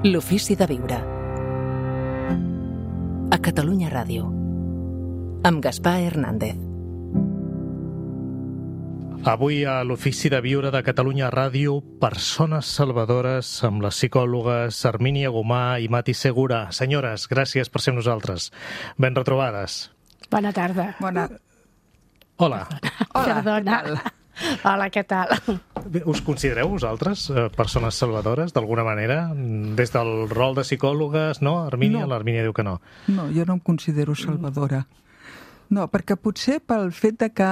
L'ofici de viure. A Catalunya Ràdio. Amb Gaspar Hernández. Avui a l'Ofici de Viure de Catalunya Ràdio, persones salvadores amb les psicòlogues Hermínia Gomà i Mati Segura. Senyores, gràcies per ser amb nosaltres. Ben retrobades. Bona tarda. Bona. Hola. Hola. Perdona. Hola, què tal? Us considereu vosaltres persones salvadores, d'alguna manera? Des del rol de psicòlogues, no? Hermínia? No. L'Hermínia diu que no. No, jo no em considero salvadora. No, perquè potser pel fet de que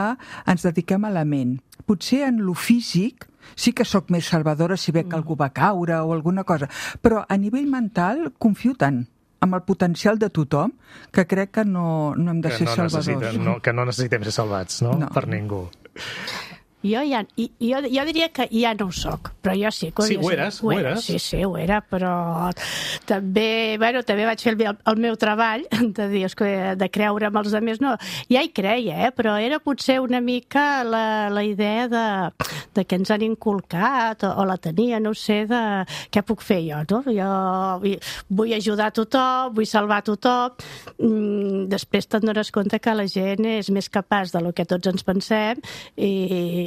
ens dediquem a la ment. Potser en lo físic sí que sóc més salvadora si ve que algú va caure o alguna cosa, però a nivell mental confio tant amb el potencial de tothom que crec que no hem de ser salvadors. Que no necessitem ser salvats, no? No. Per ningú. Jo diria que ja no ho soc, però jo sí. Sí, ho eres? Sí, ho era, però també vaig fer el meu treball de dir, de creure amb els altres. No, ja hi creia, però era potser una mica la idea de que ens han inculcat, o la tenia, no sé, de què puc fer jo, no? Jo vull ajudar a tothom, vull salvar a tothom. Després te'n dones compte que la gent és més capaç del que tots ens pensem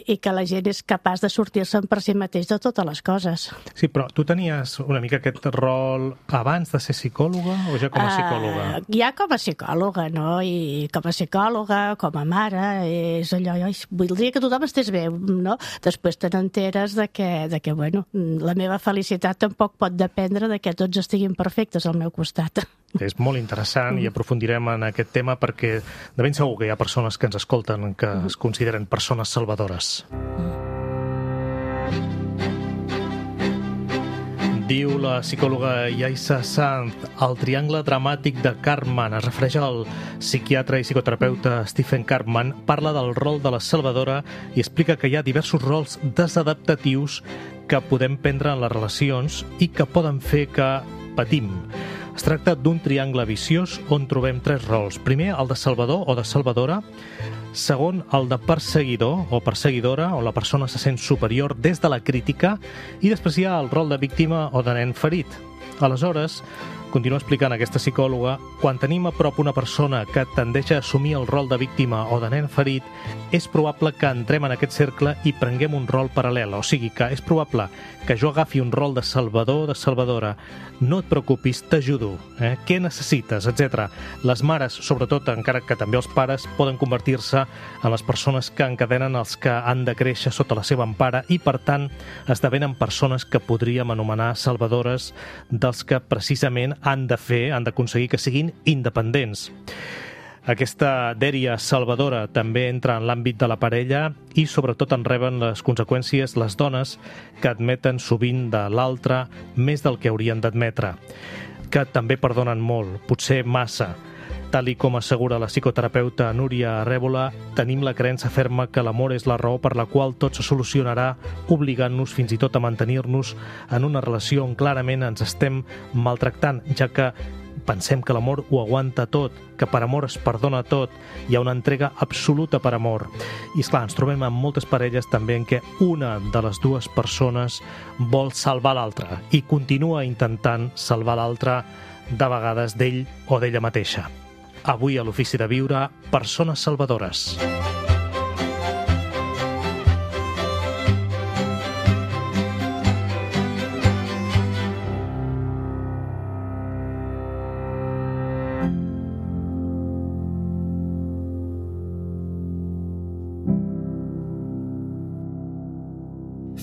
i que la gent és capaç de sortir-se'n per si mateix de totes les coses. Sí, però tu tenies una mica aquest rol abans de ser psicòloga o ja com a psicòloga? Ja com a psicòloga, no? I com a psicòloga, com a mare, és allò, voldria que tothom estés bé, no? Després te n'enteres de que, bueno, la meva felicitat tampoc pot dependre de que tots estiguin perfectes al meu costat. És molt interessant i aprofundirem en aquest tema perquè de ben segur que hi ha persones que ens escolten que es consideren persones salvadores. Diu la psicòloga Yaisa Sanz, el triangle dramàtic de Karpman, es refereix al psiquiatre i psicoterapeuta Stephen Karpman, parla del rol de la salvadora i explica que hi ha diversos rols desadaptatius que podem prendre en les relacions i que poden fer que patim. Es tracta d'un triangle viciós on trobem tres rols. Primer, el de salvador o de salvadora. Segon, el de perseguidor o perseguidora, on la persona se sent superior des de la crítica. I després hi ha el rol de víctima o de nen ferit. Aleshores, continua explicant aquesta psicòloga, quan tenim a prop una persona que tendeix a assumir el rol de víctima o de nen ferit, és probable que entrem en aquest cercle i prenguem un rol paral·lel. O sigui que és probable que jo agafi un rol de salvador o de salvadora. No et preocupis, t'ajudo. Què necessites, etc. Les mares, sobretot, encara que també els pares, poden convertir-se en les persones que encadenen els que han de créixer sota la seva empara i, per tant, esdevenen persones que podríem anomenar salvadores dels que precisament han d'aconseguir que siguin independents. Aquesta dèria salvadora també entra en l'àmbit de la parella i sobretot en reben les conseqüències les dones que admeten sovint de l'altre més del que haurien d'admetre, que també perdonen molt, potser massa. Tal i com assegura la psicoterapeuta Núria Arrébola, tenim la creença ferma que l'amor és la raó per la qual tot se solucionarà, obligant-nos fins i tot a mantenir-nos en una relació on clarament ens estem maltractant, ja que pensem que l'amor ho aguanta tot, que per amor es perdona tot, hi ha una entrega absoluta per amor. I esclar, ens trobem amb moltes parelles també en què una de les dues persones vol salvar l'altra i continua intentant salvar l'altra de vegades d'ell o d'ella mateixa. Avui a l'Ofici de Viure, persones salvadores.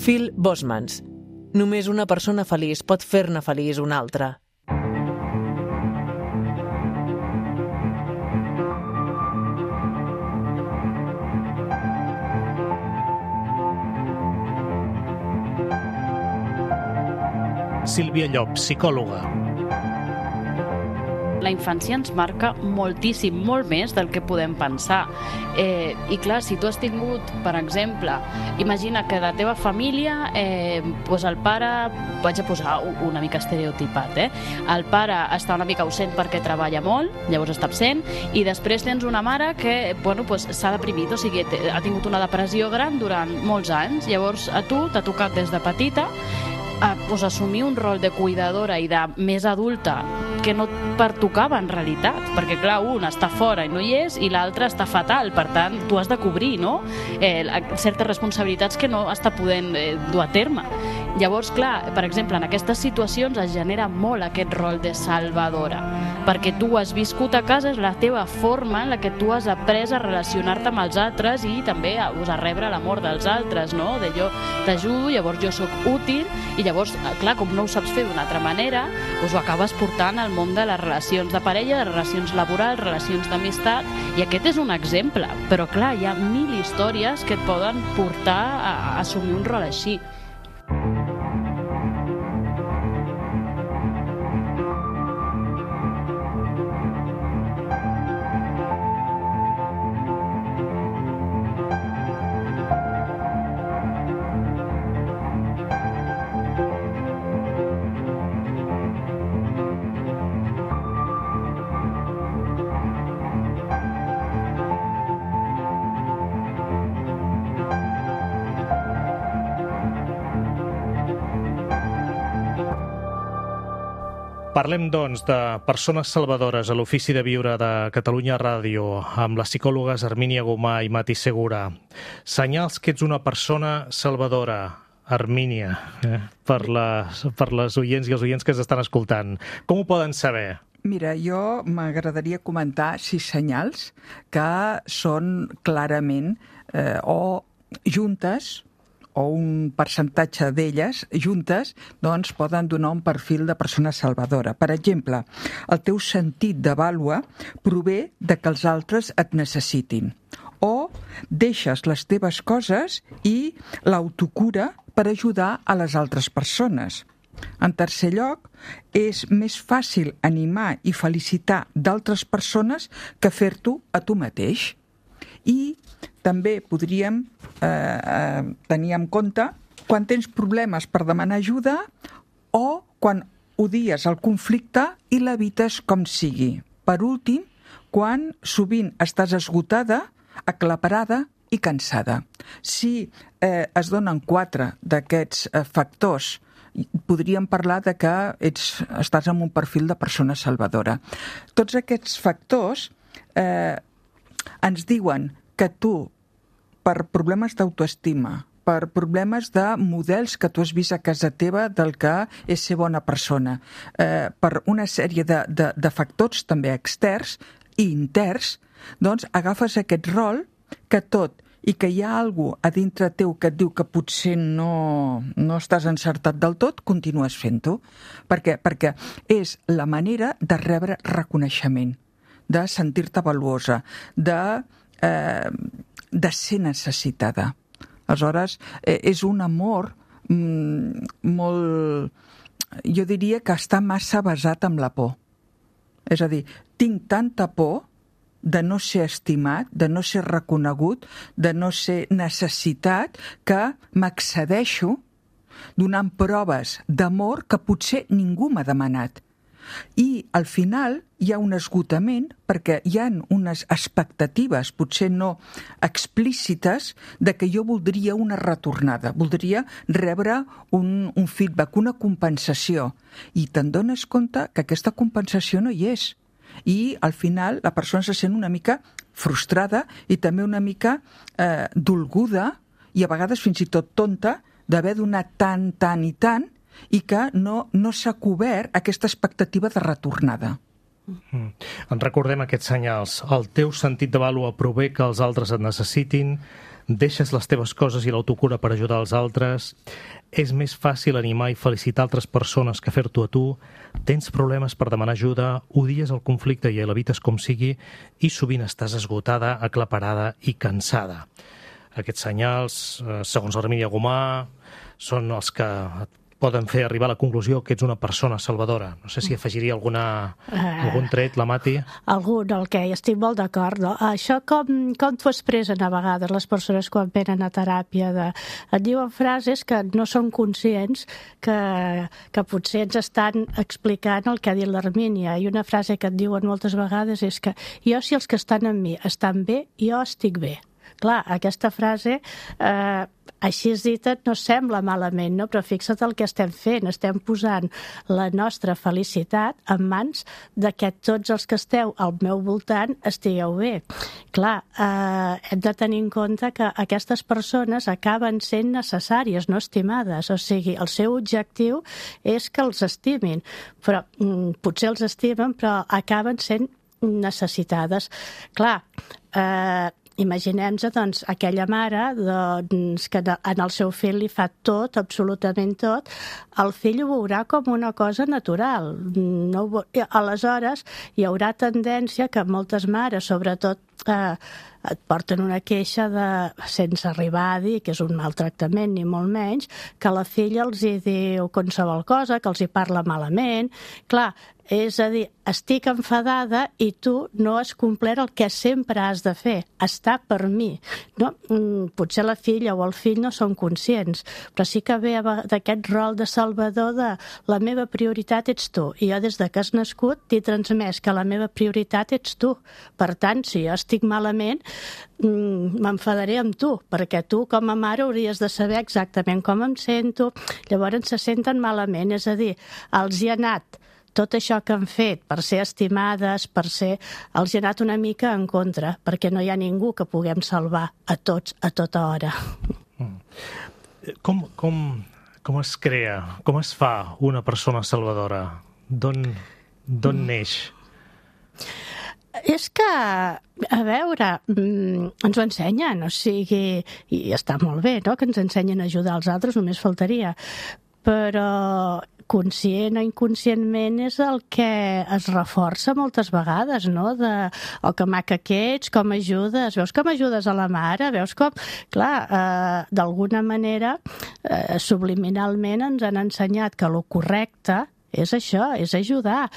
Phil Bosmans. Només una persona feliç pot fer-ne feliç una altra. Sílvia Llop, psicòloga. La infància ens marca moltíssim, molt més del que podem pensar. I clar, si tu has tingut, per exemple, imagina que de teva família doncs el pare, vaig a posar una mica estereotipat, el pare està una mica ausent perquè treballa molt, llavors està absent, i després tens una mare que s'ha deprimit, o sigui, ha tingut una depressió gran durant molts anys, llavors a tu t'ha tocat des de petita assumir un rol de cuidadora i de més adulta que no et pertocava en realitat, perquè clar, un està fora i no hi és i l'altre està fatal, per tant tu has de cobrir, no? Certes responsabilitats que no està podent dur a terme. Llavors, clar, per exemple, en aquestes situacions es genera molt aquest rol de salvadora, perquè tu has viscut a casa, és la teva forma en la que tu has après a relacionar-te amb els altres i també a rebre l'amor dels altres, no? De jo t'ajudo, llavors jo sóc útil, i llavors, clar, com no ho saps fer d'una altra manera, doncs ho acabes portant al món de les relacions de parella, de relacions laborals, relacions d'amistat, i aquest és un exemple, però clar, hi ha 1000 històries que et poden portar a assumir un rol així. Parlem, doncs, de persones salvadores a l'Ofici de Viure de Catalunya Ràdio amb les psicòlogues Hermínia Gomà i Mati Segura. Senyals que ets una persona salvadora, Hermínia, per les oients i els oients que s'estan escoltant. Com ho poden saber? Mira, jo m'agradaria comentar 6 senyals que són clarament o juntes, o un percentatge d'elles juntes, doncs poden donar un perfil de persona salvadora. Per exemple, el teu sentit de vàlua prové de que els altres et necessitin, o deixes les teves coses i l'autocura per ajudar a les altres persones. En tercer lloc, és més fàcil animar i felicitar d'altres persones que fer-t'ho a tu mateix. I també podríem tenir en compte quan tens problemes per demanar ajuda o quan odies el conflicte i l'evites com sigui. Per últim, quan sovint estàs esgotada, aclaparada i cansada. Si es donen 4 d'aquests factors, podríem parlar de que estàs en un perfil de persona salvadora. Tots aquests factors ens diuen que tu, per problemes d'autoestima, per problemes de models que tu has vist a casa teva del que és ser bona persona, per una sèrie de factors també externs i interns, doncs agafes aquest rol que tot i que hi ha algú a dintre teu que et diu que potser no estàs encertat del tot, continues fent-ho. Per què? Perquè és la manera de rebre reconeixement, de sentir-te valuosa, de ser necessitada. Aleshores, és un amor molt... Jo diria que està massa basat en la por. És a dir, tinc tanta por de no ser estimat, de no ser reconegut, de no ser necessitat, que m'excedeixo donant proves d'amor que potser ningú m'ha demanat. I al final hi ha un esgotament perquè hi ha unes expectatives, potser no explícites, de que jo voldria una retornada, voldria rebre un feedback, una compensació. I te'n dones compte que aquesta compensació no hi és. I al final la persona se sent una mica frustrada i també una mica dolguda i a vegades fins i tot tonta d'haver donat tant i tant i que no s'ha cobert aquesta expectativa de retornada. En recordem aquests senyals. El teu sentit de vàlua prové que els altres et necessitin, deixes les teves coses i l'autocura per ajudar els altres, és més fàcil animar i felicitar altres persones que fer-t'ho a tu, tens problemes per demanar ajuda, odies el conflicte i l'evites com sigui i sovint estàs esgotada, aclaparada i cansada. Aquests senyals, segons Hermínia Gomà, són els que poden fer arribar a la conclusió que ets una persona salvadora. No sé si afegiria algun tret, la Mati. Algun, el que estic molt d'acord. No? Això com t'ho expressen a vegades les persones quan venen a teràpia. Et diuen frases que no són conscients que potser ens estan explicant el que ha dit l'Hermínia. I una frase que et diuen moltes vegades és que jo, si els que estan amb mi estan bé, jo estic bé. Clar, aquesta frase així dit no sembla malament, no? Però fixa't el que estem fent. Estem posant la nostra felicitat en mans de que tots els que esteu al meu voltant estigueu bé. Clar, hem de tenir en compte que aquestes persones acaben sent necessàries, no estimades. O sigui, el seu objectiu és que els estimin. Però potser els estimen, però acaben sent necessitades. Clar, imaginem-nos, doncs, aquella mare que en el seu fill li fa tot, absolutament tot, el fill ho veurà com una cosa natural. Aleshores, hi haurà tendència que moltes mares, sobretot, et porten una queixa sense arribar a dir que és un maltractament, ni molt menys, que la filla els hi diu qualsevol cosa, que els hi parla malament. Clar, és a dir, estic enfadada i tu no has complert el que sempre has de fer, estar per mi. No? Potser la filla o el fill no són conscients, però sí que ve d'aquest rol de salvador de la meva prioritat ets tu. I jo des de que has nascut t'he transmès que la meva prioritat ets tu. Per tant, si jo estic malament, m'enfadaré amb tu, perquè tu com a mare hauries de saber exactament com em sento. Llavors se senten malament, és a dir, els hi ha anat tot això que han fet per ser estimades, els hi ha anat una mica en contra, perquè no hi ha ningú que puguem salvar a tots a tota hora. Com es crea, com es fa una persona salvadora? D'on neix? És que, a veure, ens ho ensenyen, o sigui, i està molt bé, no?, que ens ensenyen a ajudar els altres, només faltaria, però conscient o inconscientment és el que es reforça moltes vegades, no? Que maca que ets, com ajudes, veus com ajudes a la mare, veus com... Clar, d'alguna manera, subliminalment ens han ensenyat que el correcte és això, és ajudar.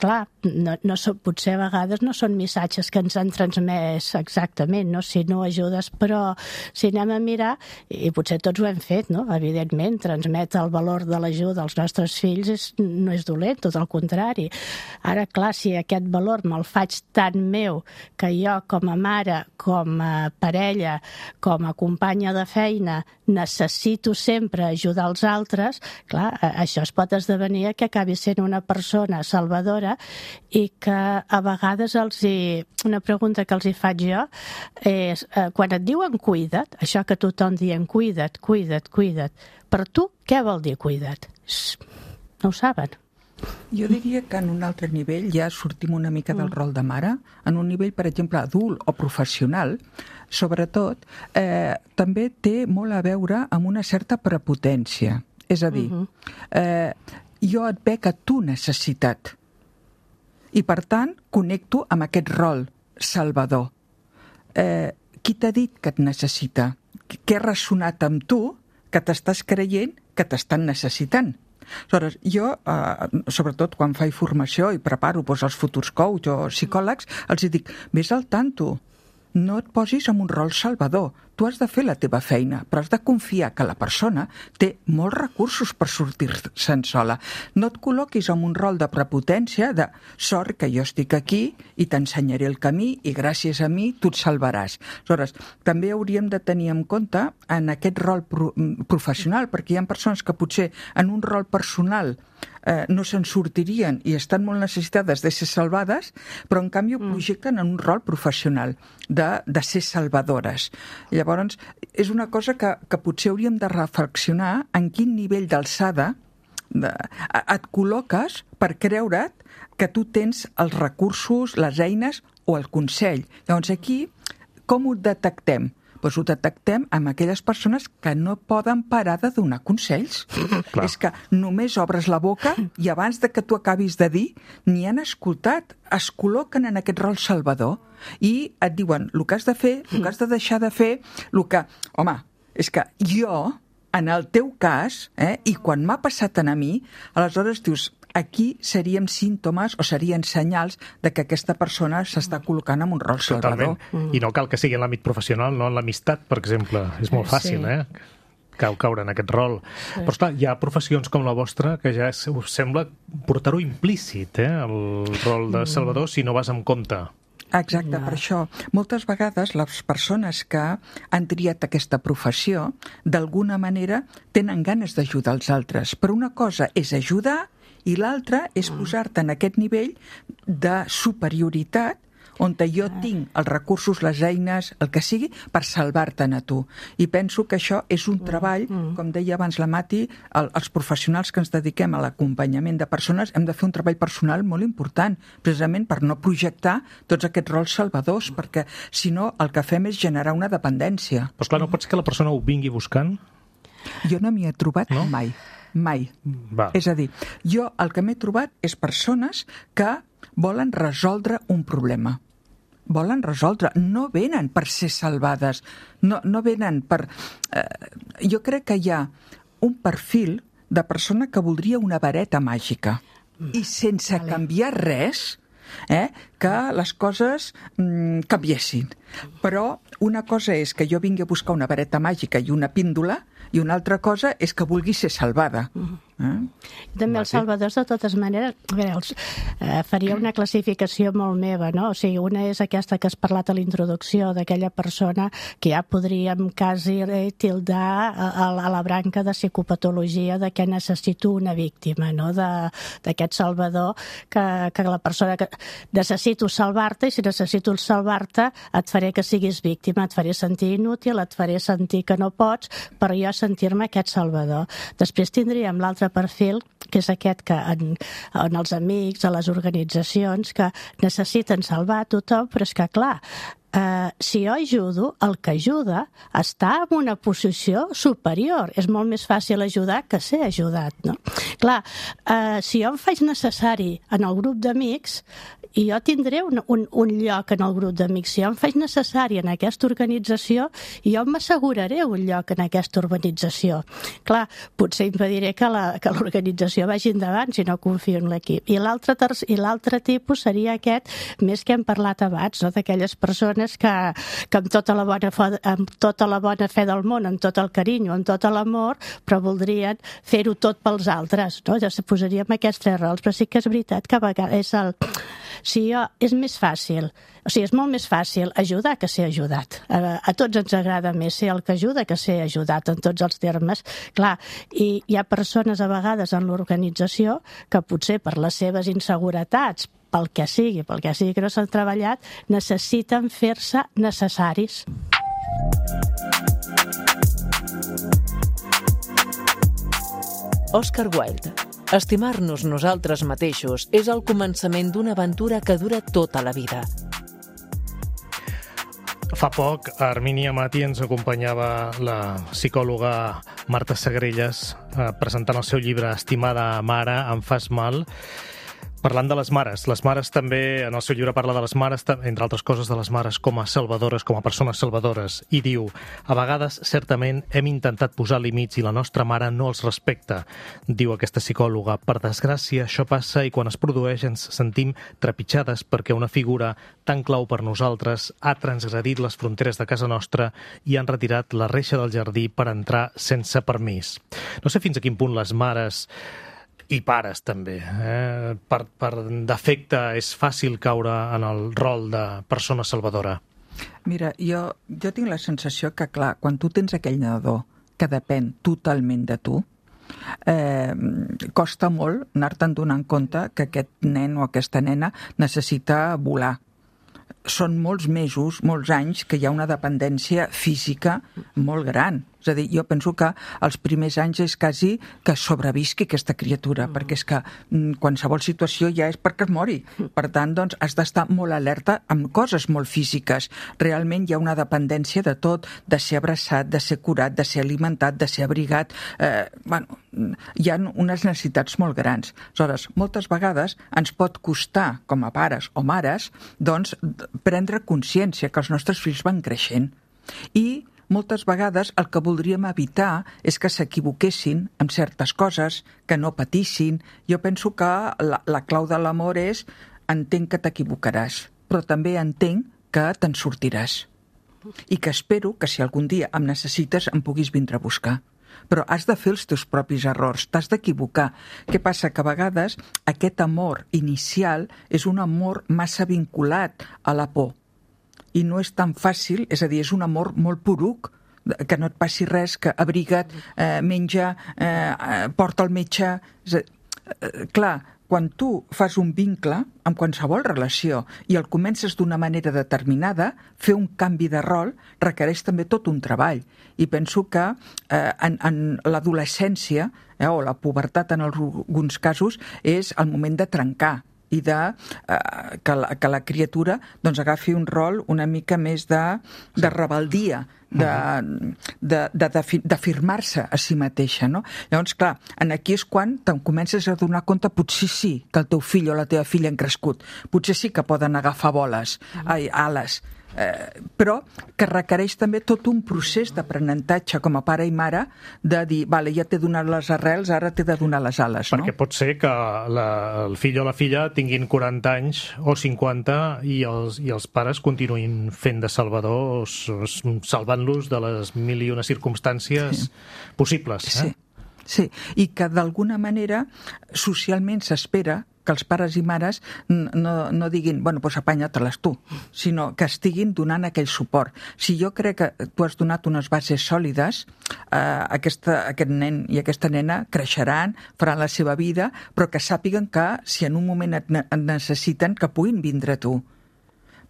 Clar, potser a vegades no són missatges que ens han transmès exactament, no? Si no ajudes, però si anem a mirar, i potser tots ho hem fet, no? Evidentment, transmetre el valor de l'ajuda als nostres fills no és dolent, tot el contrari. Ara, clar, si aquest valor me'l faig tan meu que jo com a mare, com a parella, com a companya de feina, necessito sempre ajudar els altres, clar, això es pot esdevenir que acabi sent una persona salvadora i que a vegades una pregunta que els hi faig jo és, quan et diuen cuida't, això que tothom dient cuida't, per tu què vol dir cuida't? No ho saben. Jo diria que en un altre nivell ja sortim una mica del rol de mare, en un nivell, per exemple, adult o professional, sobretot, també té molt a veure amb una certa prepotència. És a dir, jo et veig a tu necessitat i, per tant, connecto amb aquest rol salvador. Qui t'ha dit que et necessita? Què ha ressonat amb tu que t'estàs creient que t'estan necessitant? Aleshores, jo, sobretot quan faig formació i preparo els futurs coach o psicòlegs, els dic, vés al tanto, no et posis en un rol salvador. Tu has de fer la teva feina, però has de confiar que la persona té molts recursos per sortir-se'n sola. No et col·loquis en un rol de prepotència, de sort que jo estic aquí i t'ensenyaré el camí i gràcies a mi tu et salvaràs. Aleshores, també hauríem de tenir en compte en aquest rol professional, perquè hi ha persones que potser en un rol personal no se'n sortirien i estan molt necessitades de ser salvades, però en canvi ho projecten en un rol professional de ser salvadores. Llavors, és una cosa que potser hauríem de reflexionar en quin nivell d'alçada et col·loques per creure't que tu tens els recursos, les eines o el consell. Llavors aquí, com ho detectem? Doncs ho detectem amb aquelles persones que no poden parar de donar consells. És que només obres la boca i abans de que tu acabis de dir, ni han escoltat, es col·loquen en aquest rol salvador i et diuen el que has de fer, el que has de deixar de fer, el que... Home, és que jo, en el teu cas, i quan m'ha passat a mi, aleshores dius... Aquí seríem símptomes o serien senyals de que aquesta persona s'està col·locant en un rol salvador. Totalment. I no cal que sigui en l'àmbit professional, no en l'amistat, per exemple. És molt fàcil, caure en aquest rol. Sí. Però, esclar, hi ha professions com la vostra que ja us sembla portar-ho implícit, el rol de salvador, si no vas amb compte. Exacte, per això. Moltes vegades les persones que han triat aquesta professió, d'alguna manera tenen ganes d'ajudar els altres. Però una cosa és ajudar i l'altra és posar-te en aquest nivell de superioritat on jo tinc els recursos, les eines, el que sigui, per salvar-te'n a tu. I penso que això és un treball, com deia abans la Mati, els professionals que ens dediquem a l'acompanyament de persones hem de fer un treball personal molt important, precisament per no projectar tots aquests rols salvadors, perquè si no el que fem és generar una dependència. Però esclar, no pot ser que la persona ho vingui buscant? Jo no m'hi he trobat mai. Va. És a dir, jo el que m'he trobat és persones que volen resoldre un problema. Volen resoldre, no venen per ser salvades, no venen per... Jo crec que hi ha un perfil de persona que voldria una vareta màgica i sense canviar res, que les coses canviessin. Però una cosa és que jo vingui a buscar una vareta màgica i una píndola i una altra cosa és que vulgui ser salvada. També els salvadors, de totes maneres, faria una classificació molt meva, no? O sigui, una és aquesta que has parlat a l'introducció, d'aquella persona que ja podríem quasi tildar a la branca de psicopatologia de que necessito una víctima, no? D'aquest salvador, que la persona que necessito salvar-te, i si necessito salvar-te et faré que siguis víctima, et faré sentir inútil, et faré sentir que no pots, per jo sentir-me aquest salvador. Després tindríem l'altre perfil, que és aquest que en els amics, a les organitzacions, que necessiten salvar a tothom, però és que, clar, si jo ajudo, el que ajuda està en una posició superior. És molt més fàcil ajudar que ser ajudat, no? Clar, si jo em faig necessari en el grup d'amics, i jo tindré un lloc en el grup d'amics. Si jo em faig necessari en aquesta organització, jo m'asseguraré un lloc en aquesta organització. Clar, potser impediré que l'organització vagi endavant si no confio en l'equip. I l'altre tipus seria aquest, més que hem parlat abans, no? D'aquelles persones que amb tota la bona fe del món, amb tot el carinyo, amb tot l'amor, però voldrien fer-ho tot pels altres, no? Ja se posaríem aquests tres rols, però sí que és veritat que a vegades és més fàcil, o sigui, és molt més fàcil ajudar que ser ajudat. A tots ens agrada més ser el que ajuda que ser ajudat, en tots els termes. Clar, i hi ha persones a vegades en l'organització que potser per les seves inseguretats, pel que sigui que no s'han treballat, necessiten fer-se necessaris. Oscar Wilde. Estimar-nos nosaltres mateixos és el començament d'una aventura que dura tota la vida. Fa poc, a Armínia Mati ens acompanyava la psicòloga Marta Segrelles presentant el seu llibre Estimada mare, em fas mal, parlant de les mares. Les mares també, en el seu llibre parla de les mares, entre altres coses, de les mares com a salvadores, com a persones salvadores, i diu: a vegades, certament, hem intentat posar límits i la nostra mare no els respecta. Diu aquesta psicòloga: per desgràcia, això passa i quan es produeix ens sentim trepitjades perquè una figura tan clau per nosaltres ha transgredit les fronteres de casa nostra i han retirat la reixa del jardí per entrar sense permís. No sé fins a quin punt les mares i pares també. Per defecte és fàcil caure en el rol de persona salvadora. Mira, jo tinc la sensació que, clar, quan tu tens aquell nadador que depèn totalment de tu, costa molt anar-te'n donant compte que aquest nen o aquesta nena necessita volar. Són molts mesos, molts anys, que hi ha una dependència física molt gran. És a dir, jo penso que els primers anys és quasi que sobrevisqui aquesta criatura, perquè és que qualsevol situació ja és perquè es mori. Per tant, doncs, has d'estar molt alerta amb coses molt físiques. Realment hi ha una dependència de tot, de ser abraçat, de ser curat, de ser alimentat, de ser abrigat. Hi ha unes necessitats molt grans. Aleshores, moltes vegades ens pot costar, com a pares o mares, doncs, prendre consciència que els nostres fills van creixent. I moltes vegades el que voldríem evitar és que s'equivoquessin amb certes coses, que no patissin. Jo penso que la clau de l'amor és: entenc que t'equivocaràs, però també entenc que te'n sortiràs. I que espero que si algun dia em necessites em puguis vindre a buscar. però has de fer els teus propis errors, t'has d'equivocar. Què passa? Que a vegades aquest amor inicial és un amor massa vinculat a la por i no és tan fàcil, és a dir, és un amor molt poruc, que no et passi res, que abriga't, menja, porta al metge... Clar, quan tu fas un vincle amb qualsevol relació i el comences d'una manera determinada, fer un canvi de rol requereix també tot un treball. I penso que en l'adolescència, o la pubertat en alguns casos, és el moment de trencar i que la criatura doncs, agafi un rol una mica més de rebeldia, d'afirmar-se a si mateixa, no? Llavors, clar, aquí és quan te'n comences a donar compte, potser sí que el teu fill o la teva filla han crescut, potser sí que poden agafar ales, però que requereix també tot un procés d'aprenentatge com a pare i mare de dir, vale, ja t'he donat les arrels, ara t'he de donar les ales, no? Perquè pot ser que el fill o la filla tinguin 40 anys o 50 i els pares continuïn fent de salvadors, salvant-los de les mil i una circumstàncies possibles. Sí, i que d'alguna manera socialment s'espera que els pares i mares no diguin, bueno, doncs apanya-te-les tu, sinó que estiguin donant aquell suport. Si jo crec que tu has donat unes bases sòlides, aquest nen i aquesta nena creixeran, faran la seva vida, però que sàpiguen que si en un moment et necessiten, que puguin vindre a tu.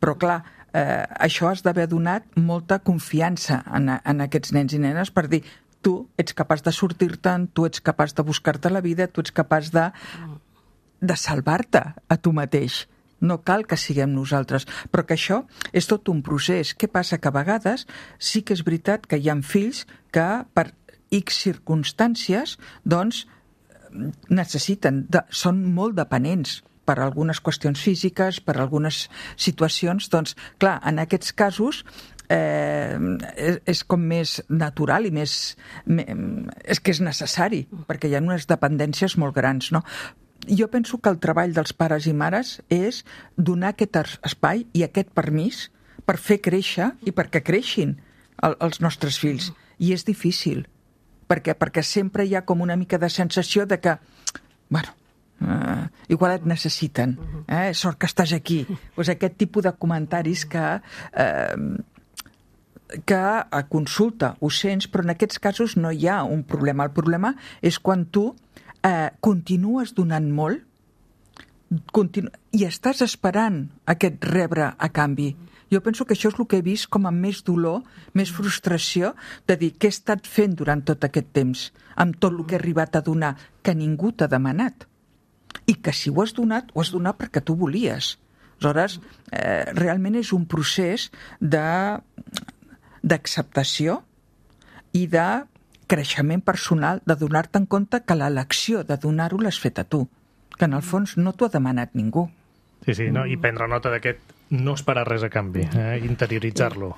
Però clar, això has d'haver donat molta confiança en aquests nens i nenes per dir, tu ets capaç de sortir-te'n, tu ets capaç de buscar-te la vida, tu ets capaç de salvar-te a tu mateix. No cal que siguem nosaltres, però que això és tot un procés. Què passa? Que a vegades sí que és veritat que hi ha fills que per X circumstàncies doncs necessiten, són molt dependents per algunes qüestions físiques, per algunes situacions, doncs clar, en aquests casos és com més natural i és que és necessari, perquè hi ha unes dependències molt grans, no? Jo penso que el treball dels pares i mares és donar aquest espai i aquest permís per fer créixer i perquè creixin els nostres fills. I és difícil, perquè sempre hi ha com una mica de sensació de que, bueno, igual et necessiten, sort que estàs aquí. Pues aquest tipus de comentaris que a consulta ho sents, però en aquests casos no hi ha un problema. El problema és quan tu continues donant molt i estàs esperant aquest rebre a canvi. Jo penso que això és el que he vist com a més dolor, més frustració, de dir què he estat fent durant tot aquest temps, amb tot el que he arribat a donar, que ningú t'ha demanat. I que si ho has donat perquè tu volies. Aleshores, realment és un procés d'acceptació i de creixement personal, de donar-te en compte que l'elecció de donar-ho l'has fet a tu, que en el fons no t'ho ha demanat ningú. Sí, no? I prendre nota d'aquest no esperar res a canvi, interioritzar-lo.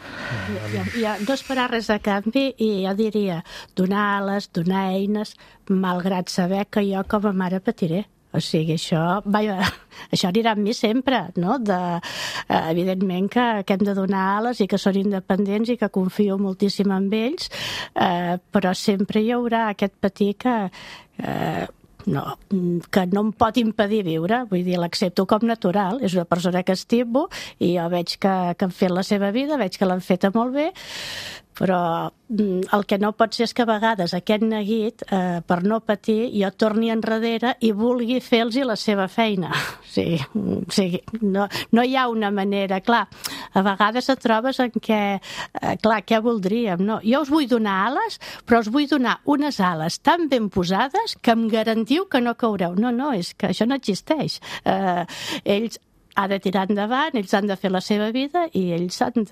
No esperar res a canvi i jo diria donar ales, donar eines, malgrat saber que jo com a mare patiré. O sigui, això anirà amb mi sempre, no? Evidentment que hem de donar ales i que són independents i que confio moltíssim en ells, però sempre hi haurà aquest patir que no em pot impedir viure, vull dir, l'accepto com natural, és una persona que estimo i jo veig que han fet la seva vida, veig que l'han feta molt bé, però el que no pot ser és que a vegades aquest neguit, per no patir, jo torni enrere i vulgui fer-los la seva feina. O sigui, no hi ha una manera. Clar, a vegades et trobes en què, clar, què voldríem? No? Jo us vull donar ales, però us vull donar unes ales tan ben posades que em garantiu que no caureu. No, és que això no existeix. Ells han de tirar endavant, ells han de fer la seva vida i ells s'han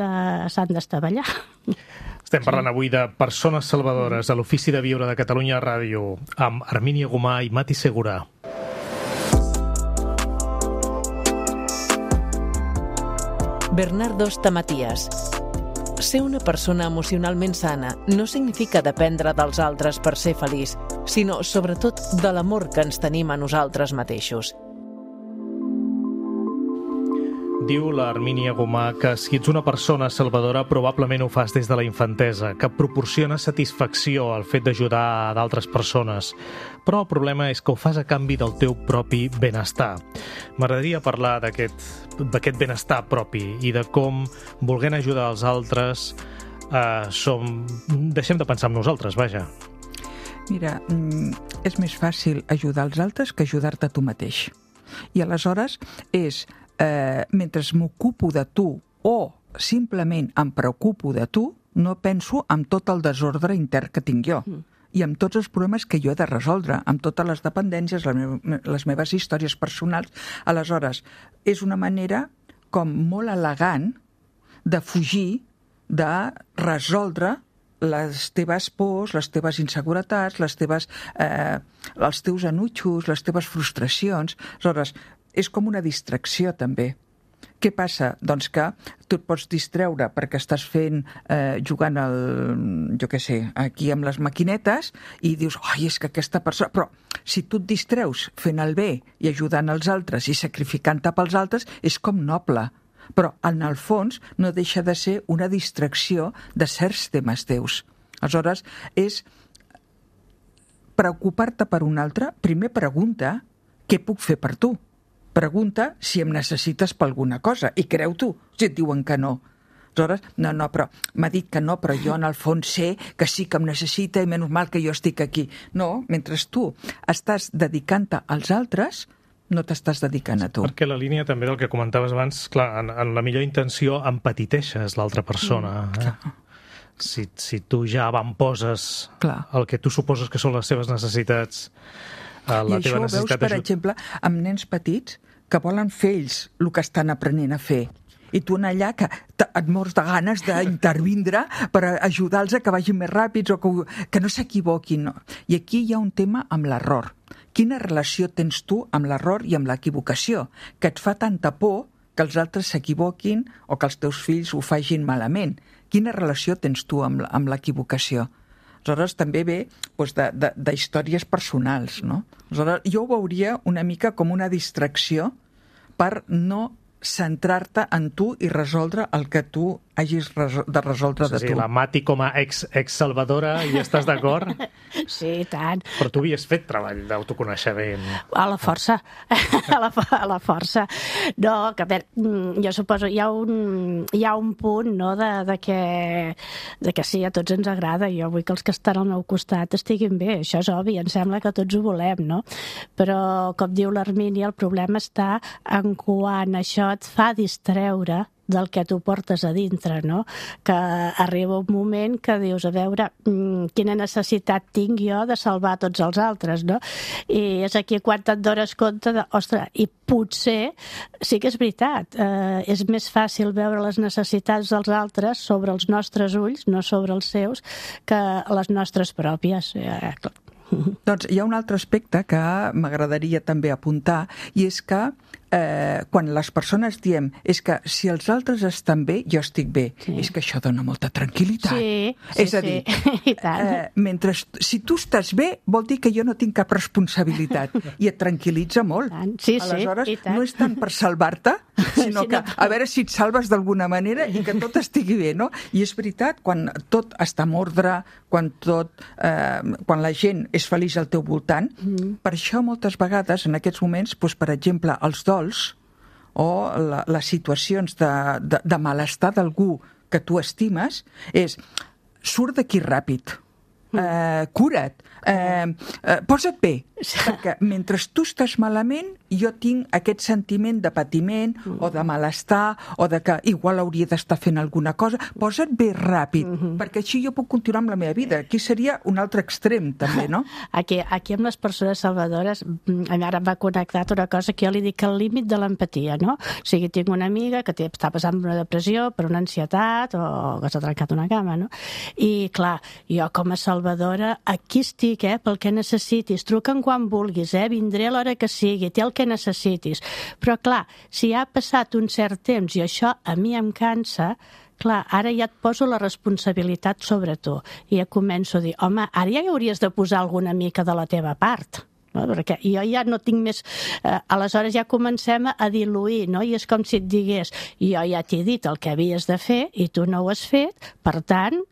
d'estavellar. Estem parlant avui de persones salvadores a l'Ofici de Viure de Catalunya Ràdio amb Armínia Gomà i Mati Segura. Bernardo Stamatias. Ser una persona emocionalment sana no significa dependre dels altres per ser feliç, sinó, sobretot, de l'amor que ens tenim a nosaltres mateixos. Diu la Hermínia Gomà que si ets una persona salvadora probablement ho fas des de la infantesa, que proporciona satisfacció al fet d'ajudar a d'altres persones. Però el problema és que ho fas a canvi del teu propi benestar. M'agradaria parlar d'aquest benestar propi i de com, volent ajudar els altres, deixem de pensar en nosaltres, vaja. Mira, és més fàcil ajudar els altres que ajudar-te a tu mateix. I aleshores és, mentre m'ocupo de tu o simplement em preocupo de tu, no penso en tot el desordre intern que tinc jo i amb tots els problemes que jo he de resoldre, amb totes les dependències, les meves històries personals. Aleshores, és una manera com molt elegant de fugir, de resoldre les teves pors, les teves inseguretats, els teus enutjos, les teves frustracions. Aleshores, és com una distracció també. Què passa? Doncs que tu et pots distreure perquè estàs jugant aquí amb les maquinetes i dius, és que aquesta persona... Però si tu et distreus fent el bé i ajudant els altres i sacrificant-te pels altres, és com noble. Però, en el fons, no deixa de ser una distracció de certs temes teus. Aleshores, és preocupar-te per un altre. Primer pregunta què puc fer per tu. Pregunta si em necessites per alguna cosa. I creu tu, si et diuen que no. Aleshores, però m'ha dit que no, però jo en el fons sé que sí que em necessita i menys mal que jo estic aquí. No, mentre tu estàs dedicant-te als altres, no t'estàs dedicant a tu. Perquè la línia també del que comentaves abans, clar, en la millor intenció empatiteixes l'altra persona. Si tu ja avamposes el que tu suposes que són les seves necessitats, la teva necessitat... I això ho veus, per exemple, amb nens petits que volen fer ells el que estan aprenent a fer. I tu allà que et mors de ganes d'intervindre per ajudar-los a que vagin més ràpids o que no s'equivoquin. I aquí hi ha un tema amb l'error. Quina relació tens tu amb l'error i amb l'equivocació? Que et fa tanta por que els altres s'equivoquin o que els teus fills ho facin malament. Quina relació tens tu amb l'equivocació? Aleshores, també ve d'històries personals, no? Aleshores, jo ho veuria una mica com una distracció per no centrar-te en tu i resoldre el que tu hagis de resoldre de tu. Sí, la Mati com a ex-salvadora, hi estàs d'acord? Sí, tant. Però tu havies fet treball d'autoconeixement. A la força, a la força. No, que a veure, jo suposo, hi ha un punt, no?, de que sí, a tots ens agrada. Jo vull que els que estan al meu costat estiguin bé, això és obvi, em sembla que tots ho volem, no? Però, com diu l'Hermínia, el problema està en quan això et fa distreure del que tu portes a dintre, no? Que arriba un moment que dius, a veure, quina necessitat tinc jo de salvar tots els altres, no? I és aquí quan te'n dones compte de, ostres, i potser sí que és veritat, és més fàcil veure les necessitats dels altres sobre els nostres ulls, no sobre els seus, que les nostres pròpies. Doncs hi ha un altre aspecte que m'agradaria també apuntar, i és que quan les persones diem és que si els altres estan bé, jo estic bé, és que això dona molta tranquil·litat. Sí, és a dir, i tant. Si tu estàs bé, vol dir que jo no tinc cap responsabilitat i et tranquil·litza molt. Sí, aleshores, i tant. no és tant per salvar-te, sinó que a veure si et salves d'alguna manera i que tot estigui bé, no? I és veritat, quan tot està en ordre, quan la gent és feliç al teu voltant, per això moltes vegades en aquests moments, per exemple, els dols o les situacions de malestar d'algú que tu estimes és surt d'aquí ràpid, cura't, posa't bé, perquè mentre tu estàs malament jo tinc aquest sentiment de patiment o de malestar o de que igual hauria d'estar fent alguna cosa. Posa't bé ràpid, perquè així jo puc continuar amb la meva vida. Aquí seria un altre extrem també, no? Aquí amb les persones salvadores ara m'ha connectat una cosa que jo li dic el límit de l'empatia, no? O sigui, tinc una amiga que està passant per una depressió, per una ansietat o que s'ha trencat una cama, no? I clar, jo com a salvadora aquí estic, pel que necessitis, truca'm quan vulguis, vindré a l'hora que sigui, té el que necessitis. Però clar, si ha passat un cert temps i això a mi em cansa, clar, ara ja et poso la responsabilitat sobre tu i ja començo a dir, home, ara ja hi hauries de posar alguna mica de la teva part. no? Perquè jo ja no tinc més... aleshores ja comencem a diluir, no? I és com si et digués, jo ja t'he dit el que havies de fer i tu no ho has fet, per tant,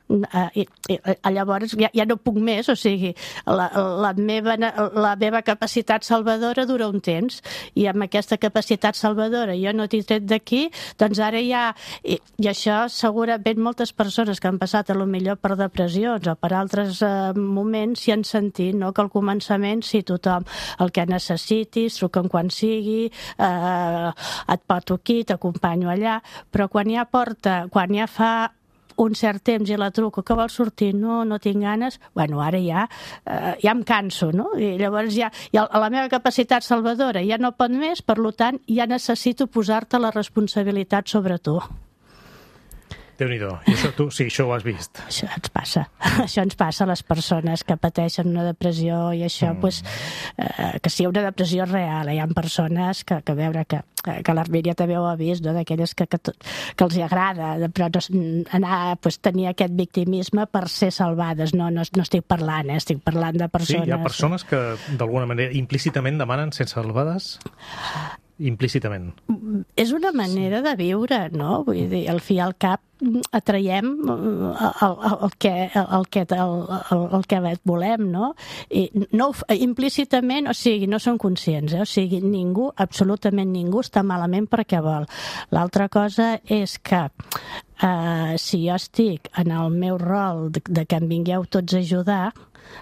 llavors ja no puc més, o sigui, la meva capacitat salvadora dura un temps, i amb aquesta capacitat salvadora jo no t'he tret d'aquí, doncs ara ja... I això segurament moltes persones que han passat a lo millor per depressions o per altres moments s'hi han sentit, no? Que al començament sí, tothom el que necessitis, truca'm quan sigui, et porto aquí, t'acompanyo allà, però quan ja fa un cert temps i la truco, que vols sortir? No tinc ganes. Bueno, ara ja em canso, no? I llavors ja la meva capacitat salvadora ja no pot més, per tant, ja necessito posar-te la responsabilitat sobre tu. Déu-n'hi-do. I això tu, sí, això ho has vist. Això ens passa. Això ens passa a les persones que pateixen una depressió i això, que sigui una depressió real. Hi ha persones que veure que l'Armínia també ho ha vist, no? D'aquelles que els agrada però tenir aquest victimisme per ser salvades. No estic parlant, estic parlant de persones... Sí, hi ha persones que d'alguna manera implícitament demanen ser salvades? Implícitament. És una manera de viure, no? Vull dir, al fi i al cap atraiem el que volem, no? I no implícitament, o sigui, no són conscients, o sigui, ningú, absolutament ningú està malament perquè vol. L'altra cosa és que si jo estic en el meu rol de que em vingueu tots a ajudar,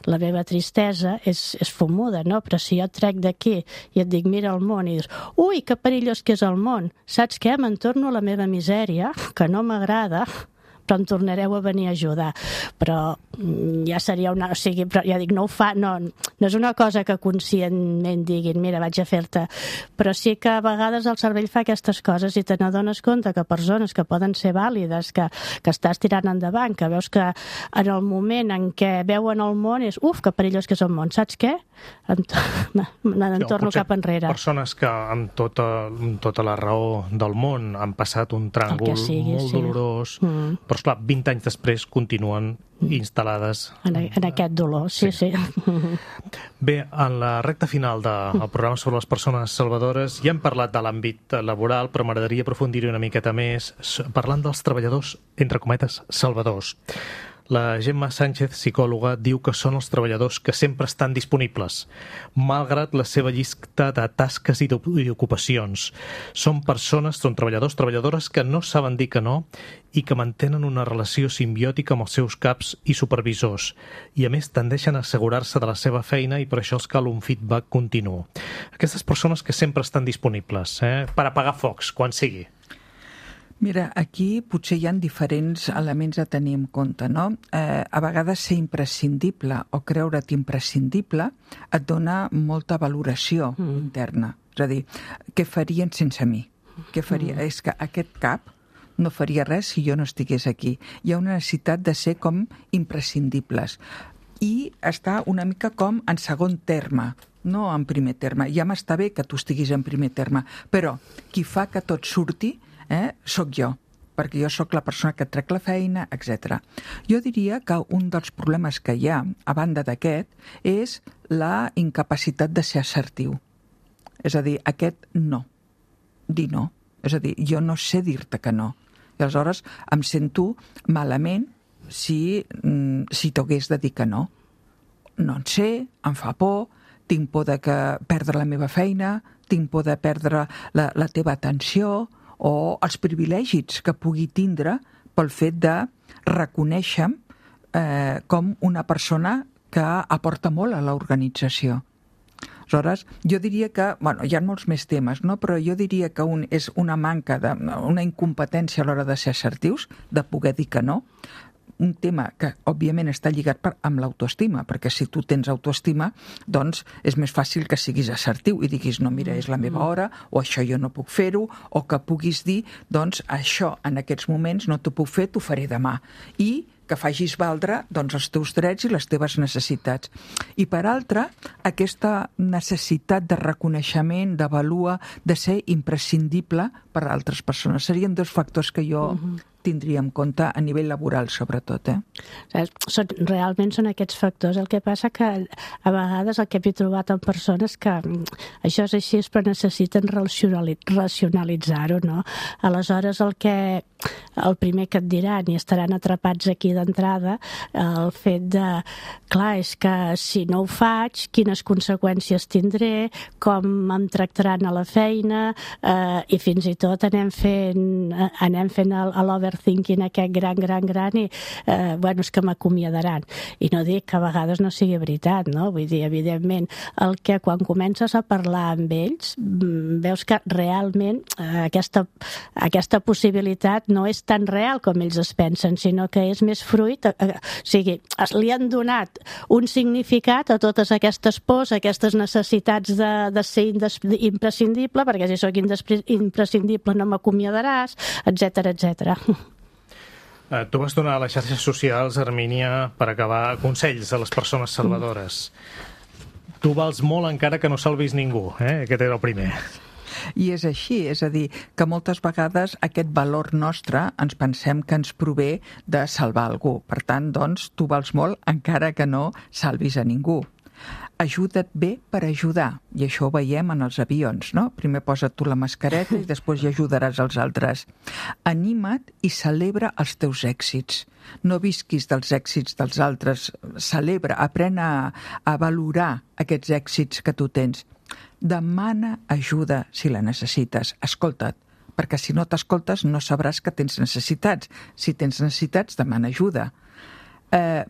la meva tristesa és fumuda, no? Però si jo et trec d'aquí i et dic mira el món i dius, ui, que perillós que és el món, saps què? Me'n torno a la meva misèria, que no m'agrada, però em tornareu a venir a ajudar. Però ja seria una... O sigui, però ja dic, no ho fa... No és una cosa que conscientment diguin, mira, vaig a fer-te... Però sí que a vegades el cervell fa aquestes coses i te n'adones compte que persones que poden ser vàlides, que estàs tirant endavant, que veus que en el moment en què veuen el món és, uf, que perillós que és el món, saps què? Me'n torno cap enrere. Persones que amb tota la raó del món han passat un tràngol molt dolorós, però esclar, 20 anys després continuen instal·lades en aquest dolor, sí. Bé, en la recta final del programa sobre les persones salvadores ja hem parlat de l'àmbit laboral, però m'agradaria aprofundir-hi una miqueta més parlant dels treballadors, entre cometes, salvadors. La Gemma Sánchez, psicòloga, diu que són els treballadors que sempre estan disponibles, malgrat la seva llista de tasques i d'ocupacions. Són treballadors que no saben dir que no i que mantenen una relació simbiòtica amb els seus caps i supervisors, i a més tendeixen a assegurar-se de la seva feina i per això els cal un feedback continu. Aquestes persones que sempre estan disponibles, per apagar focs, quan sigui. Mira, aquí potser hi ha diferents elements a tenir en compte, no? A vegades ser imprescindible o creure't imprescindible et dona molta valoració interna. És a dir, què farien sense mi? Què faria? És que aquest cap no faria res si jo no estigués aquí. Hi ha una necessitat de ser com imprescindibles i està una mica com en segon terme, no en primer terme. Ja m'està bé que tu estiguis en primer terme, però qui fa que tot surti sóc jo, perquè jo sóc la persona que et trec la feina, etc. Jo diria que un dels problemes que hi ha, a banda d'aquest, és la incapacitat de ser assertiu. És a dir, aquest no. Dir no. És a dir, jo no sé dir-te que no. I aleshores em sento malament si t'hagués de dir que no. No en sé, em fa por, tinc por de perdre la meva feina, tinc por de perdre la teva atenció, o els privilegis que pugui tindre pel fet de reconèixer com una persona que aporta molt a l'organització. Aleshores, jo diria que, hi ha molts més temes, no? Però jo diria que és una manca, una incompetència a l'hora de ser assertius, de poder dir que no. Un tema que, òbviament, està lligat amb l'autoestima, perquè si tu tens autoestima, doncs és més fàcil que siguis assertiu i diguis, no, mira, és la meva hora, o això jo no puc fer-ho, o que puguis dir, doncs, això en aquests moments no t'ho puc fer, t'ho faré demà. I que facis valdre doncs, els teus drets i les teves necessitats. I per altra, aquesta necessitat de reconeixement, de vàlua, de ser imprescindible per a altres persones. Serien dos factors que jo tindria en compte a nivell laboral, sobretot. Realment són aquests factors. El que passa que a vegades el que he trobat en persones que això és així, però necessiten racionalitzar-ho, no? Aleshores, el primer que et diran i estaran atrapats aquí d'entrada, el fet de, clar, és que si no ho faig, quines conseqüències tindré, com em tractaran a la feina, i fins i tot anem fent l'overthinking aquest gran i és que m'acomiadaran. I no dic que a vegades no sigui veritat, no? Vull dir, evidentment, el que quan comences a parlar amb ells veus que realment aquesta possibilitat no és tan real com ells es pensen, sinó que és més fruit, o sigui, li han donat un significat a totes aquestes pors, aquestes necessitats de ser imprescindible, perquè si sóc imprescindible no m'acomiadaràs, etc. Tu vas donar a les xarxes socials, Hermínia, per acabar, consells a les persones salvadores. Tu vals molt encara que no salvis ningú, aquest era el primer. I és així, és a dir, que moltes vegades aquest valor nostre ens pensem que ens prové de salvar algú. Per tant, doncs, tu vals molt encara que no salvis a ningú. Ajuda't bé per ajudar, i això ho veiem en els avions, no? Primer posa't tu la mascareta i després hi ajudaràs els altres. Anima't i celebra els teus èxits. No visquis dels èxits dels altres, celebra, aprèn a valorar aquests èxits que tu tens. Demana ajuda si la necessites, escolta't, perquè si no t'escoltes no sabràs que tens necessitats. Si tens necessitats, demana ajuda.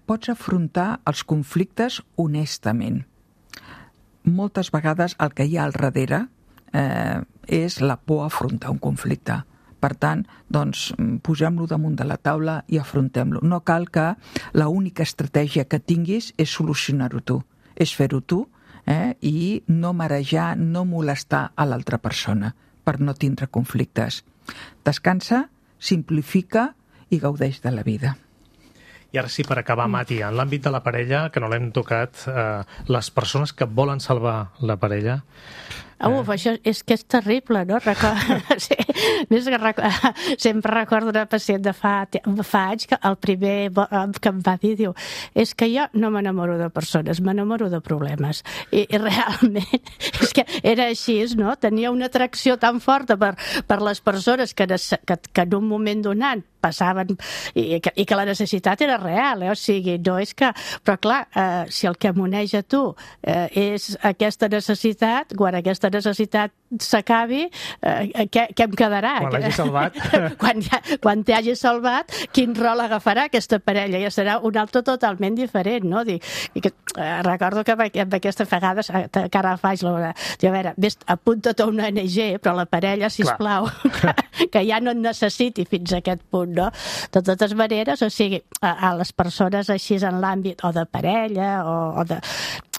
Pots afrontar els conflictes honestament. Moltes vegades el que hi ha al darrere és la por a afrontar un conflicte. Per tant, doncs, posem-lo damunt de la taula i afrontem-lo. No cal que l'única estratègia que tinguis és solucionar-ho tu, és fer-ho tu i no marejar, no molestar a l'altra persona per no tindre conflictes. Descansa, simplifica i gaudeix de la vida. I ara sí, per acabar, Mati, en l'àmbit de la parella, que no l'hem tocat, les persones que volen salvar la parella... Això és que és terrible, no? Sempre recordo una pacient de fa anys que el primer que em va dir, diu, és que jo no m'enamoro de persones, m'enamoro de problemes. I realment és que era així, no? Tenia una atracció tan forta per les persones que en un moment donat passaven i que la necessitat era real, o sigui, no és que... Però clar, si el que m'uneix a tu és aquesta necessitat, quan aquesta necessitat s'acabi, què em quedarà? Quan l'hagi salvat. Quan t'hagi salvat, quin rol agafarà aquesta parella? Ja serà un altre totalment diferent, no? Recordo que amb aquestes vegades, que ara faig l'hora, diu, a veure, apunta't a una ONG, però la parella, sisplau, que ja no et necessiti fins a aquest punt, no? De totes maneres, o sigui, a les persones així en l'àmbit o de parella o de...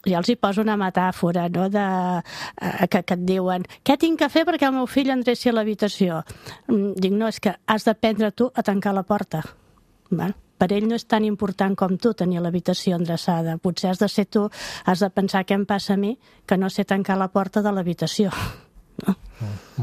Ja els hi poso una metàfora, no?, que et diuen, què tinc que fer perquè el meu fill endreci a l'habitació? Dic, no, és que has d'aprendre tu a tancar la porta. Per ell no és tan important com tu tenir l'habitació endreçada. Potser has de ser tu, has de pensar què em passa a mi, que no sé tancar la porta de l'habitació.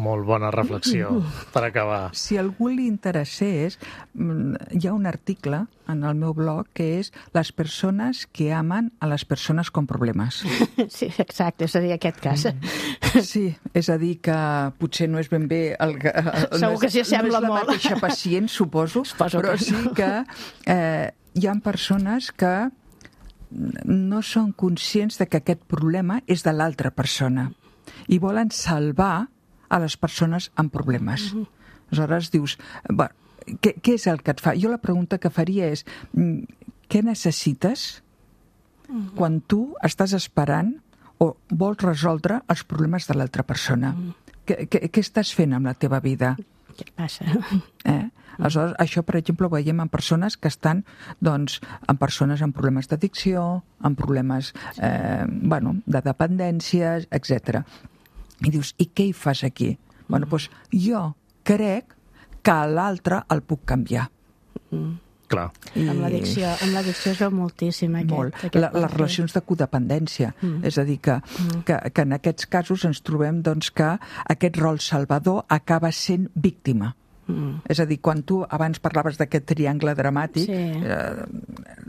Molt bona reflexió per acabar. Si a algú li interessés, hi ha un article en el meu blog que és les persones que amen a les persones con problemes. Sí, exacte, és a dir, aquest cas. Sí, és a dir, que potser no és ben bé... Segur que s'hi assembla molt. No és la mateixa pacient, suposo, però sí que hi ha persones que no són conscients de que aquest problema és de l'altra persona i volen salvar a les persones amb problemes. Aleshores dius, què és el que et fa? Jo la pregunta que faria és, què necessites quan tu estàs esperant o vols resoldre els problemes de l'altra persona? Què estàs fent amb la teva vida? Què passa? Aleshores, això, per exemple, ho veiem en persones que estan, doncs, en persones amb problemes d'addicció, amb problemes, de dependència, etc. I dius, i què hi fas aquí? Doncs jo crec que l'altre el puc canviar. Clar. Amb l'addicció es veu moltíssim molt. Les relacions de codependència. És a dir, que en aquests casos ens trobem doncs, que aquest rol salvador acaba sent víctima. És a dir, quan tu abans parlaves d'aquest triangle dramàtic,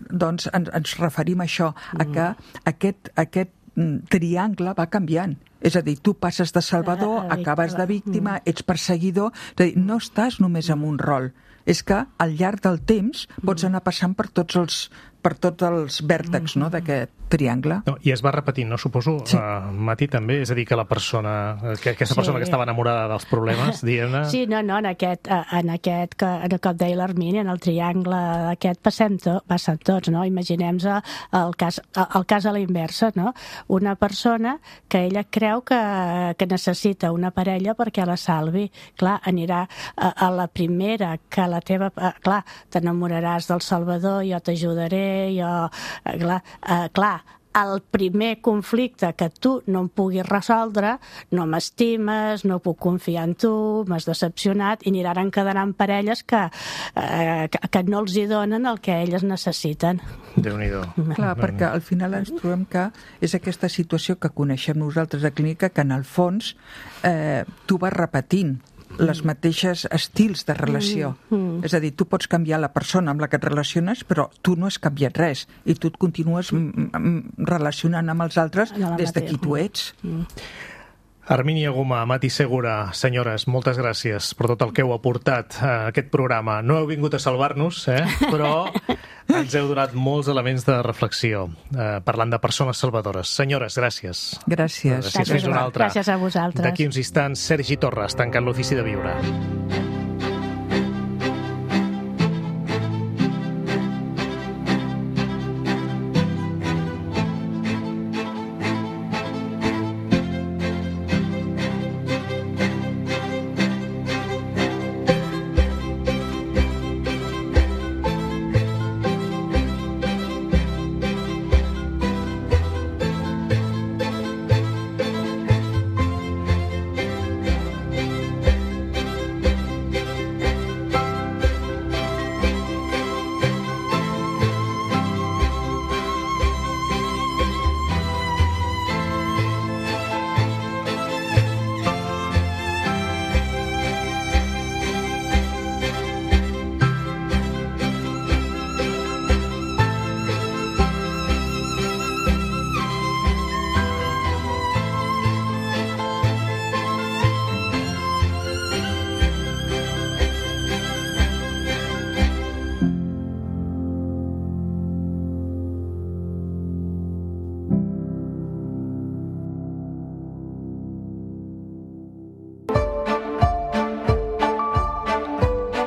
doncs ens referim a això, a que aquest triangle va canviant. És a dir, tu passes de salvador, acabes de víctima, ets perseguidor, és a dir, no estàs només en un rol. És que al llarg del temps pots anar passant per tots els vèrtexs d'aquest triangle. I es va repetint, no? Suposo, Mati, també? És a dir, que la persona, aquesta persona que estava enamorada dels problemes, diguem-ne... Sí, no, en aquest com deia l'Hermini, en el triangle aquest passen tots, no? Imaginem-nos el cas a la inversa, no? Una persona que ella creu que necessita una parella perquè la salvi. Clar, anirà a la primera que la teva... Clar, t'enamoraràs del Salvador, jo t'ajudaré, clar, el primer conflicte que tu no em puguis resoldre, no m'estimes, no puc confiar en tu, m'has decepcionat, i aniran quedant parelles que no els hi donen el que elles necessiten. Déu-n'hi-do. Clar, perquè al final ens trobem que és aquesta situació que coneixem nosaltres a clínica, que en el fons tu vas repetint les mateixes estils de relació. És a dir, tu pots canviar la persona amb la que et relaciones, però tu no has canviat res i tu et continues relacionant amb els altres des de qui tu ets. Hermínia Gomà, Mati Segura, senyores, moltes gràcies per tot el que heu aportat a aquest programa. No heu vingut a salvar-nos, però ens heu donat molts elements de reflexió, parlant de persones salvadores. Senyores, gràcies. Gràcies. Fins una altra. Gràcies a vosaltres. D'aquí uns instants, Sergi Torres, tancant l'Ofici de Viure.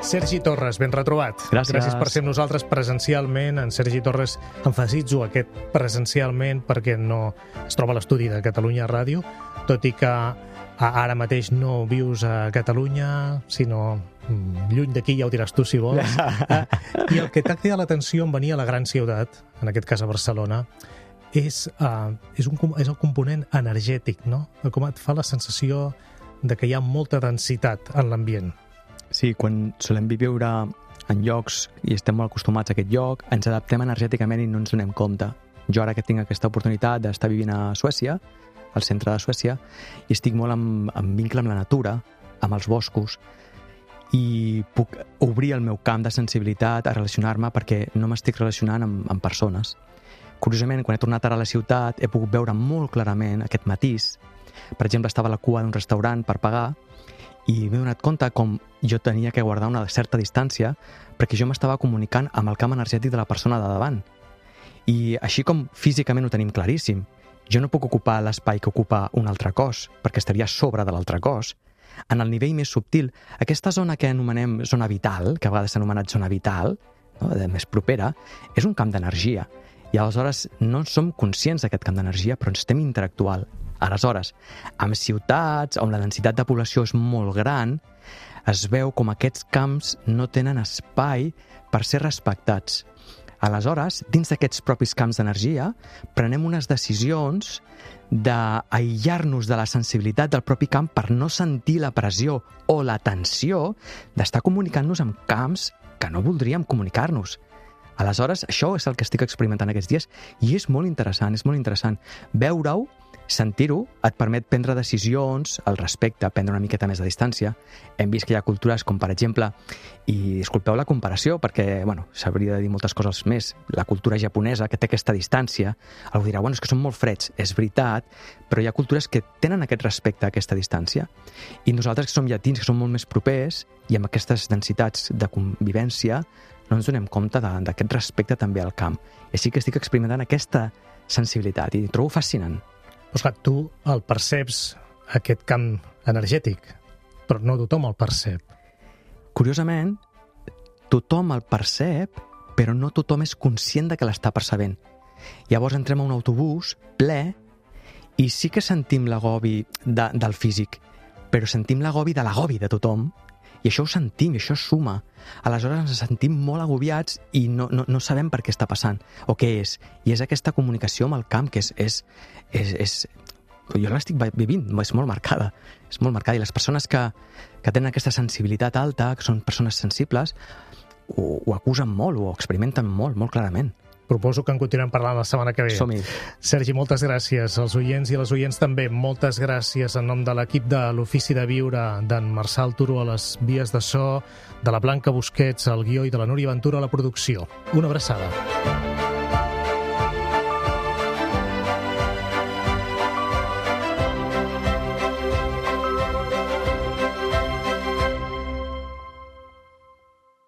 Sergi Torres, ben retrobat. Gràcies per ser amb nosaltres presencialment. En Sergi Torres, emfasitzo aquest presencialment perquè no es troba a l'estudi de Catalunya Ràdio, tot i que ara mateix no vius a Catalunya, sinó lluny d'aquí, ja ho diràs tu si vols. I el que t'ha cridat l'atenció en venir a la gran ciutat, en aquest cas a Barcelona, és el component energètic, no? Com et fa la sensació de que hi ha molta densitat en l'ambient. Sí, quan solem viure en llocs i estem molt acostumats a aquest lloc, ens adaptem energèticament i no ens donem compte. Jo ara que tinc aquesta oportunitat d'estar vivint a Suècia, al centre de Suècia, i estic molt en vincle amb la natura, amb els boscos, i puc obrir el meu camp de sensibilitat a relacionar-me perquè no m'estic relacionant amb persones. Curiosament, quan he tornat ara a la ciutat, he pogut veure molt clarament aquest matís. Per exemple, estava a la cua d'un restaurant per pagar i m'he donat compte com jo tenia que guardar una certa distància perquè jo m'estava comunicant amb el camp energètic de la persona de davant. I així com físicament ho tenim claríssim, jo no puc ocupar l'espai que ocupa un altre cos, perquè estaria a sobre de l'altre cos. En el nivell més subtil, aquesta zona que anomenem zona vital, que a vegades s'ha anomenat zona vital, no, més propera, és un camp d'energia. I aleshores no som conscients d'aquest camp d'energia, però ens estem interactuant. Aleshores, amb ciutats on la densitat de població és molt gran, es veu com aquests camps no tenen espai per ser respectats. Aleshores, dins d'aquests propis camps d'energia, prenem unes decisions d'aïllar-nos de la sensibilitat del propi camp per no sentir la pressió o la tensió d'estar comunicant-nos amb camps que no voldríem comunicar-nos. Aleshores, això és el que estic experimentant aquests dies i és molt interessant. Veure-ho, sentir-ho, et permet prendre decisions al respecte, prendre una miqueta més de distància. Hem vist que hi ha cultures com, per exemple, i disculpeu la comparació, perquè s'hauria de dir moltes coses més, la cultura japonesa, que té aquesta distància, algú dirà, és que són molt freds, és veritat, però hi ha cultures que tenen aquest respecte a aquesta distància. I nosaltres, que som llatins, que som molt més propers, i amb aquestes densitats de convivència, no ens donem compte d'aquest respecte també al camp. I així que estic experimentant aquesta sensibilitat i ho trobo fascinant. Doncs clar, tu el perceps, aquest camp energètic, però no tothom el percep. Curiosament, tothom el percep, però no tothom és conscient de que l'està percebent. Llavors entrem a un autobús ple i sí que sentim l'agobi del físic, però sentim l'agobi de tothom, i això ho sentim, i això suma. Aleshores ens sentim molt agobiats i no sabem per què està passant, o què és. I és aquesta comunicació amb el camp que és jo l'estic vivint, és molt marcada. I les persones que tenen aquesta sensibilitat alta, que són persones sensibles, ho acusen molt, ho experimenten molt clarament. Proposo que en continuem parlant la setmana que ve. Som-hi. Sergi, moltes gràcies. Als oients i les oients també, moltes gràcies en nom de l'equip de l'Ofici de Viure, d'en Marçal Turo a les vies de so, de la Blanca Busquets al guió i de la Núria Ventura a la producció. Una abraçada.